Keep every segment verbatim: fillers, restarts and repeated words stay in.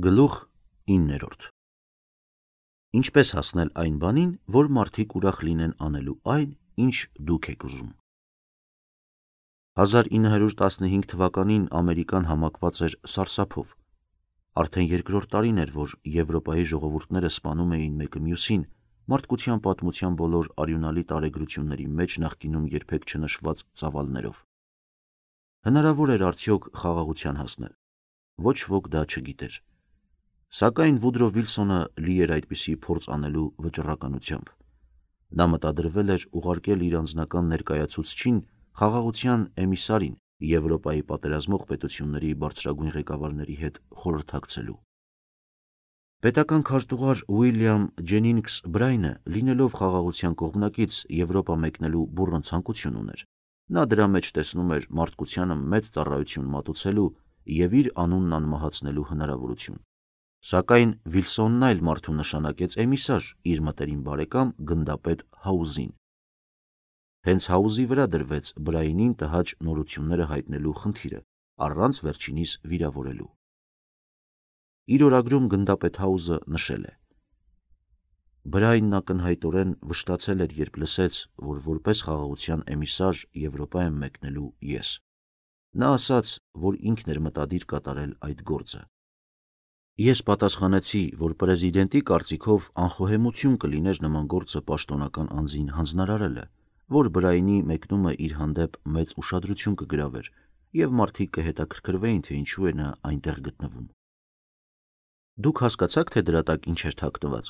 Գլուխ իններորդ Ինչպես հասնել այն բանին, որ մարդիկ ուրախ լինեն անելու այն, ինչ դուք եք ուզում։ հազար ինը հարյուր տասնհինգ թվականին Ամերիկան համակված էր սարսափով։ Արդեն երկրորդ տարին էր, որ Եվրոպայի ժողովուրդները սպանում էին մեկը մյուսին, մարդկության պատմության բոլոր արյունալի տարեգրությունների մեջ նախկինում երբեք չնշված ծավալներով։ Հնարավոր էր արդյոք խաղաղության հասնել։ Ոչ ոք դա չգիտեր։ Սակայն Վուդրո Վիլսոնը լի էր այդպիսի փորձ անելու վճռականությամբ։ Նա մտադրվել էր ուղարկել իր անձնական ներկայացուցչին խաղաղության էմիսարին Եվրոպայի պատերազմող պետությունների բարձրագույն ղեկավարների հետ խորհրդակցելու։ Պետական քարտուղար Ուիլյամ Ջենինգս Բրայնը, լինելով խաղաղության կողմնակից, Եվրոպա մեկնելու բուռն ցանկություն ուներ։ Նա դրա մեջ տեսնում էր մարդկությանը մեծ ծառայություն մատուցելու և իր անունն անմահացնելու հնարավորություն։ Սակայն Վիլսոնն այլ մարդու նշանակեց էմիսար իր մտերիմ բարեկամ գնդապետ Հաուզին։ Հենց Հաուզի վրա դրվեց Բրայնին տհաճ նորությունները հայտնելու խնդիրը, առանց վերջինիս վիրավորելու։ Իր օրագրում գնդապետ Հաուզը նշել է. Բրայնն ակնհայտորեն վշտացել էր, երբ լսեց, որ որպես խաղաղության էմիսար Եվրոպա եմ մեկնելու ես։ Նա ասաց, որ ինքն էր մտադիր կատարել այդ գործը։ Ես պատասխանեցի, որ պրեզիդենտի կարծիքով անխոհեմություն կլիներ նման գործը պաշտոնական անձին հանձնարարելը, որ Բրայնի մեկնումը իր հանդեպ մեծ ուշադրություն կգրավեր, և մարդիկ կհետաքրքրվեին, թե ինչու է նա այնտեղ գտնվում։ Դուք հասկացաք, թե դրա տակ ինչ էր թաքնված։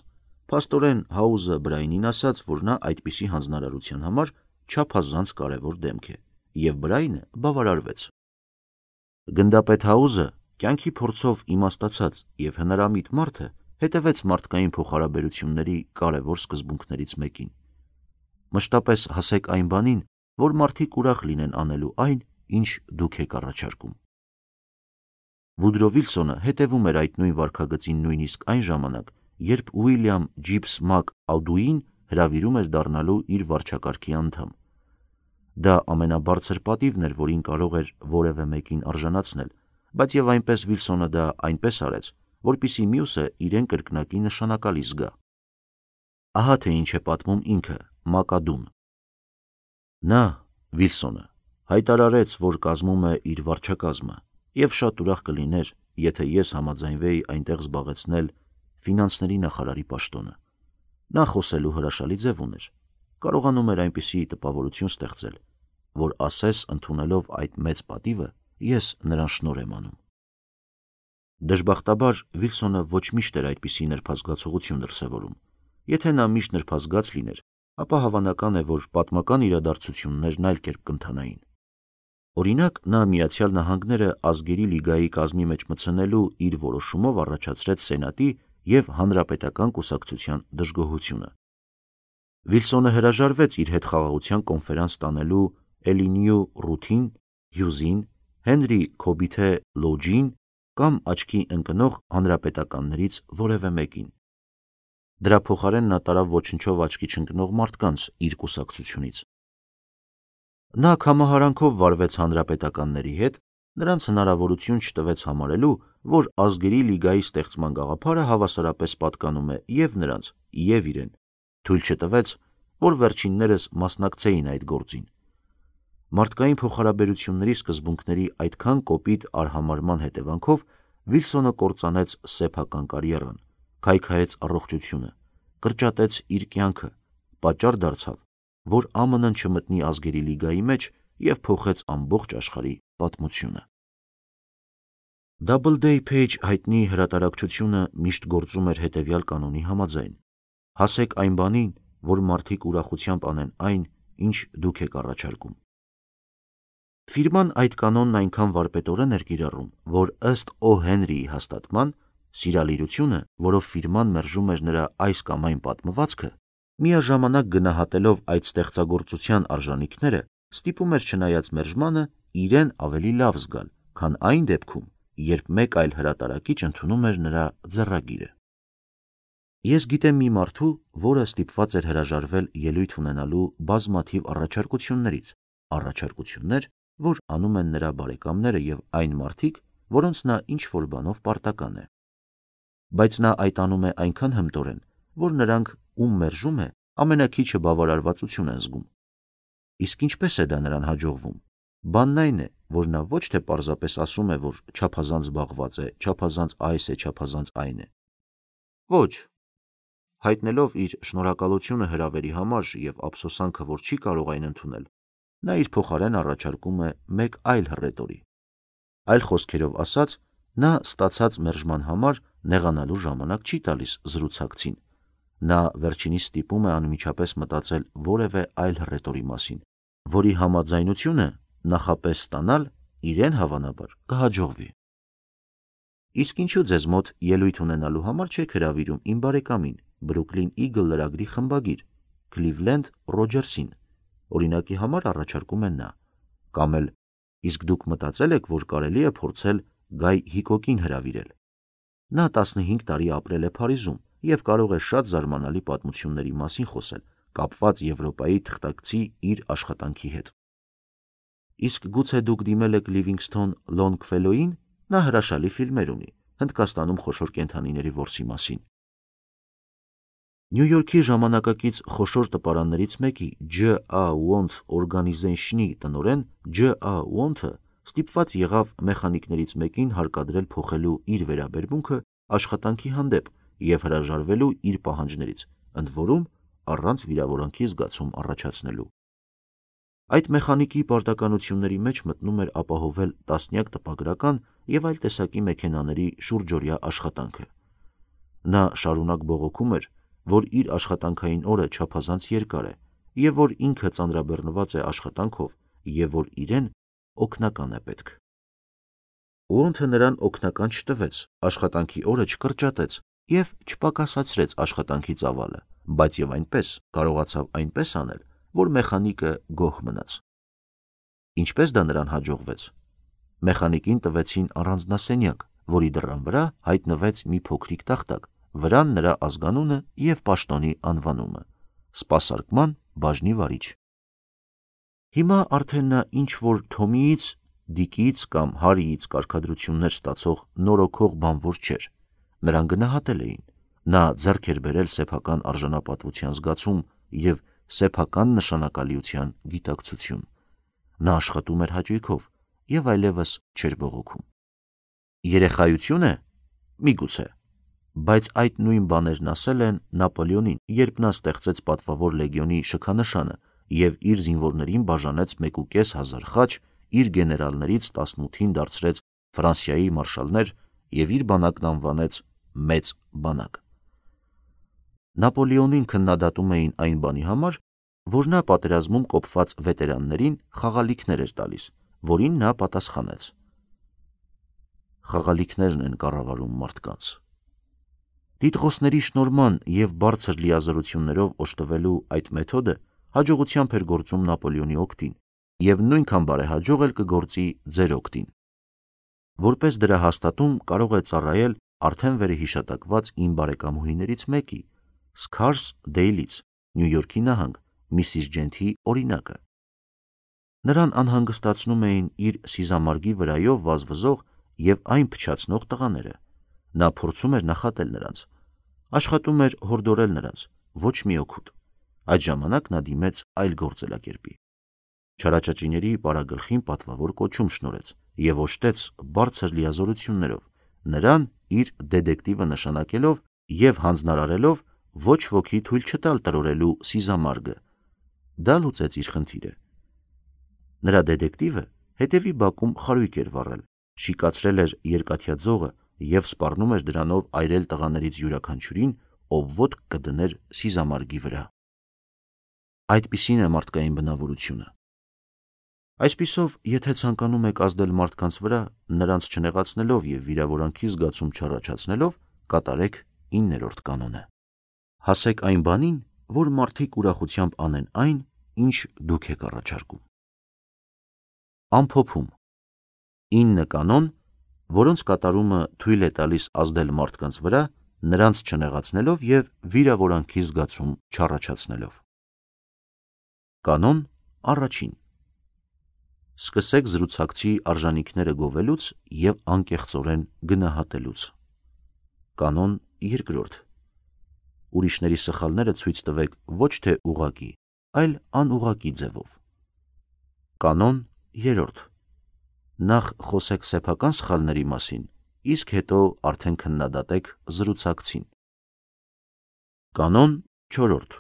Փաստորեն Հաուզը Բրայնին ասաց, որ նա այդպիսի հանձնարարության համար չափազանց կարևոր դեմք է, և Բրայնը բավարարվեց։ Գնդապետ Հաուզը, կյանքի փորձով իմաստացած և հնարամիտ մարդը, հետևեց մարդկային փոխհարաբերությունների կարևոր սկզբունքներից մեկին։ Մշտապես հասեք այն բանին, որ մարդիկ ուրախ լինեն անելու այն, ինչ դուք եք առաջարկում։ Վուդրո Վիլսոնը հետևում էր այդ նույն վարքագծին նույնիսկ այն ժամանակ, երբ Ուիլյամ Ջիբս Մակ Ադուին հրավիրում էր դառնալու իր վարչակարգի անդամ։ Դա ամենաբարձր պատիվն էր, որին կարող էր որևէ մեկին արժանացնել, բայց և այնպես Վիլսոնը դա այնպես արեց, որպեսզի մյուսը իրեն կրկնակի նշանակալի զգա։ Ահա թե ինչ է պատմում ինքը՝ Մակադուն։ Նա՝ Վիլսոնը, հայտարարեց, որ կազմում է իր վարչակազմը, և շատ ուրախ կլիներ, եթե ես համաձայնվեի այնտեղ զբաղեցնել ֆինանսների նախարարի պաշտոնը։ Նա խոսելու հրաշալի ձև ուներ, կարողանում էր այնպիսի տպավորություն ստեղծել, որ ասես ընդունելով այդ մեծ պատիվը, ես նրան շնորհ եմ անում։ Դժբախտաբար Վիլսոնը ոչ միշտ էր այդպիսի նրբազգացողություն դրսևորում։ Եթե նա միշտ նրբազգաց լիներ, ապա հավանական է, որ պատմական իրադարձություններն այլ կերպ կընթանային։ Օրինակ, նա Միացյալ Նահանգները ազգերի լիգայի կազմի մեջ մտցնելու իր որոշումով առաջացրեց Սենատի և Հանրապետական կուսակցության դժգոհությունը։ Վիլսոնը հրաժարվեց իր հետ խաղաղության կոնֆերանս տանելու Էլինյու Ռութին, Հյուզին, Հենրի Քոբիթե Լոջին կամ աչքի ընկնող հանրապետականներից որևէ մեկին։ Դրա փոխարեն նա տարավ ոչնչով աչքի չընկնող մարդկանց իր կուսակցությունից։ Նա կամահարանքով վարվեց հանրապետականների հետ, նրանց հնարավորություն չտվեց համարելու, որ ազգերի լիգայի ստեղծման գաղափարը հավասարապես պատկանում է և նրանց, և իրեն, թույլ չտվեց, որ վերջիններս մասնակցեին այդ գործին։ Մարդկային փոխհարաբերությունների սկզբունքների այդքան կոպիտ արհամարհման հետևանքով Վիլսոնը կործանեց սեփական կարիերան, քայքայեց առողջությունը, կրճատեց իր կյանքը, պատճառ դարձավ, որ ԱՄՆ-ն չմտնի ազգերի լիգայի մեջ և փոխեց ամբողջ աշխարհի պատմությունը։ Doubleday Page հայտնի հրատարակչությունը միշտ գործում էր հետևյալ կանոնի համաձայն. հասեք այն բանին, որ մարդիկ ուրախությամբ անեն այն, ինչ դուք եք առաջարկում։ Ֆիրման այդ կանոնն այնքան վարպետորեն էր կիրառում, որ ըստ Օ. Հենրիի հաստատման, սիրալիրությունը, որով ֆիրման մերժում էր նրա այս կամ այն պատմվածքը, միաժամանակ գնահատելով այդ ստեղծագործության արժանիքները, ստիպում էր չնայած մերժմանը, իրեն ավելի լավ զգալ, քան այն դեպքում, երբ մեկ այլ հրատարակիչ ընդունում էր նրա ձեռագիրը։ Ես գիտեմ մի մարդու, որը ստիպված էր հրաժարվել ելույթ ունենալու բազմաթիվ առաջարկություններից, առաջարկություններ, որ անում են նրա բարեկամները և այն մարդիկ, որոնց նա ինչ-որ բանով պարտական է։ բայց նա այդ անում է այնքան հմտորեն, որ նրանք, ում մերժում է, ամենաքիչը բավարարվածություն են զգում։ Իսկ ինչպես է դա նրան հաջողվում։ Բանն այն է, որ նա ոչ թե պարզապես ասում է, որ չափազանց զբաղված է, չափազանց այս է, չափազանց այն է։ Ոչ։ Հայտնելով իր շնորհակալությունը հրավերի համար և ափսոսանքը, որ չի կարող այն ընդունել, նա իր փոխարեն առաջարկում է մեկ այլ հռետորի։ Այլ խոսքերով ասած, նա ստացած մերժման համար նեղանալու ժամանակ չի տալիս զրուցակցին։ Նա վերջինիս ստիպում է անմիջապես մտածել որևէ այլ հռետորի մասին, որի համաձայնությունը նախապես ստանալ իրեն հավանաբար կհաջողվի։ Իսկ ինչու ձեզ մոտ ելույթ ունենալու համար չեք հրավիրում իմ բարեկամին, Brooklyn Eagle լրագրի խմբագիր Cleveland Rogers-ին, օրինակի համար առաջարկում է նա, կամ էլ իսկ դուք մտածել եք, որ կարելի է փորձել Գայ Հիկոկին հրավիրել։ Նա տասնհինգ տարի ապրել է Փարիզում և կարող է շատ զարմանալի պատմությունների մասին խոսել, կապված Եվրոպայի թղթակցի իր աշխատանքի հետ։ Իսկ գուցե դուք դիմել եք Livingston Longfellow-ին, նա հրաշալի ֆիլմեր ունի Հնդկաստանում խոշոր կենդանիների որսի մասին։ Նյու Յորքի ժամանակակից խոշոր տպարաններից մեկի Ջ A Want Organization-ի տնօրեն Ջ A Want-ը ստիպված եղավ մեխանիկներից մեկին հարկադրել փոխելու իր վերաբերմունքը աշխատանքի հանդեպ և հրաժարվելու իր պահանջներից, ընդ որում առանց վիրավորանքի զգացում առաջացնելու։ Այդ մեխանիկի պարտականությունների մեջ մտնում էր ապահովել տասնյակ տպագրական և այլ տեսակի մեքենաների շուրջօրյա աշխատանքը։ Նա շարունակ բողոքում էր, որ իր աշխատանքային օրը չափազանց երկար է և որ ինքը ծանրաբեռնված է աշխատանքով և որ իրեն օգնական է պետք։ Want-ը նրան օգնական չտվեց, աշխատանքի օրը չկրճատեց և չպակասեցրեց աշխատանքի ծավալը, բայց և այնպես կարողացավ այնպես անել, որ մեխանիկը գոհ մնաց։ Ինչպես դա նրան հաջողվեց։ Մեխանիկին տվեցին առանձնասենյակ, որի դռան վրա հայտնվեց մի փոքրիկ տախտակ, վրան նրա ազգանունը և պաշտոնի անվանումը՝ սպասարկման բաժնի վարիչ։ Հիմա արդեն նա ինչ-որ Թոմիից, Դիկից կամ Հարիից կարգադրություններ ստացող նորոգող բանվոր չէր։ Նրան գնահատել էին։ Նա ձեռք էր բերել սեփական արժանապատվության զգացում և սեփական նշանակալիության գիտակցություն։ Նա աշխատում էր հաճույքով և այլևս չէր բողոքում։ Երեխայությո՞ւն է։ Միգուցե։ Բայց այդ նույն բաներն ասել են Նապոլեոնին, երբ նա ստեղծեց պատվավոր լեգիոնի շքանշանը և իր զինվորներին բաժանեց մեկուկես հազար խաչ, իր գեներալներից տասնութին դարձրեց Ֆրանսիայի մարշալներ և իր բանակն անվանեց մեծ բանակ։ Նապոլեոնին քննադատում էին այն բանի համար, որ նա պատերազմում կոփված վետերաններին խաղալիքներ էր տալիս, որին նա պատասխանեց. Խաղալիքներն են կառավարում մարդկանց։ Տիտղոսների շնորհման և բարձր լիազորություններով օժտվելու այդ մեթոդը հաջողությամբ էր գործում Նապոլեոնի օգտին և նույնքան բարեհաջող էլ կգործի ձեր օգտին։ Որպես դրա հաստատում կարող է ծառայել արդեն վերհիշատակված իմ բարեկամուհիներից մեկի՝ Սքարս Դեյլից, Նյու Յորքի նահանգ, Միսիս Ջենթի օրինակը։ Նրան անհանգստացնում էին իր սիզամարգի վրայով վազվզող և այն փչացնող տղաները։ Նա փորձում էր նախատել նրանց, աշխատում էր հորդորել նրանց, ոչ մի օգուտ։ Այդ ժամանակ նա դիմեց այլ գործելակերպի։ Չարաճճիների պարագլխին պատվավոր կոչում շնորհեց և օժտեց բարձր լիազորություններով, նրան իր դետեկտիվը նշանակելով և հանձնարարելով ոչ ոքի թույլ չտալ տրորելու սիզամարգը։ Դա լուծեց իր խնդիրը։ Նրա դետեկտիվը հետևի բակում խարույկ էր վառել, շիկացրել էր երկաթյա ձողը և սպառնում էր դրանով այրել տղաներից յուրաքանչյուրին, ով ոտք կդներ սիզամարգի վրա։ Այդպիսին է մարդկային բնավորությունը։ Այսպիսով, եթե ցանկանում եք ազդել մարդկանց վրա, նրանց չնեղացնելով և վիրավորանքի զգացում չառաջացնելով, կատարեք իններորդ կանոնը։ Հասեք այն բանին, որ մարդիկ ուրախությամբ անեն այն, ինչ դուք եք առաջարկում։ Ամփոփում. ինը կանոն, որոնց կատարումը թույլ է տալիս ազդել մարդկանց վրա, նրանց չնեղացնելով և վիրավորանքի զգացում չառաջացնելով։ Կանոն առաջին. Սկսեք զրուցակցի արժանինքները գովելուց և անկեղծորեն գնահատելուց։ Կանոն երկրորդ. Ուրիշների սխալները ցույց տվեք ոչ թե ուղղակի, այլ անուղղակի ձևով։ Կանոն երրորդ. Նախ խոսեք սեփական սխալների մասին, իսկ հետո արդեն քննադատեք զրուցակցին։ Կանոն չորրորդ.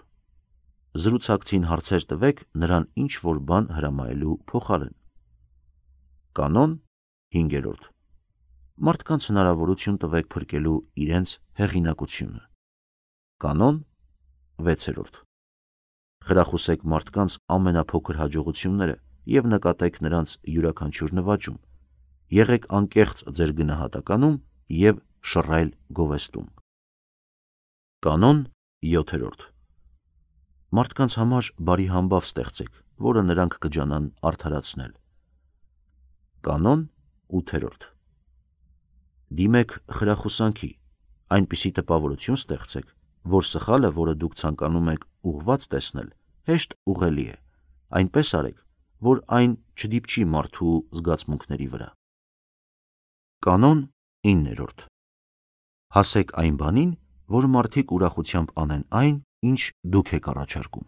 Զրուցակցին հարցեր տվեք նրան ինչ-որ բան հրամայելու փոխարեն։ Կանոն հինգերորդ. Մարդկանց հնարավորություն տվեք փրկելու իրենց հեղինակությունը։ Կանոն վեցերորդ. Խրախուսեք մարդկանց ամենափոքր հաջողությունները և նկատեք նրանց յուրաքանչյուր նվաճում։ Եղեք անկեղծ ձեր գնահատականում և շռայլ գովեստում։ Կանոն յոթերորդ. Մարդկանց համար բարի համբավ ստեղծեք, որը նրանք կջանան արդարացնել։ Կանոն ութերորդ. Դիմեք խրախուսանքի, այնպիսի տպավորություն ստեղծեք, որ սխալը, որը դուք ցանկանում եք ուղղված տեսնել, հեշտ ուղղելի է, այնպես արեք, որ այն չդիպչի մարդու զգացմունքների վրա։ Կանոն իններորդ. Հասեք այն բանին, որ մարդիկ ուրախությամբ անեն այն, ինչ դուք եք առաջարկում։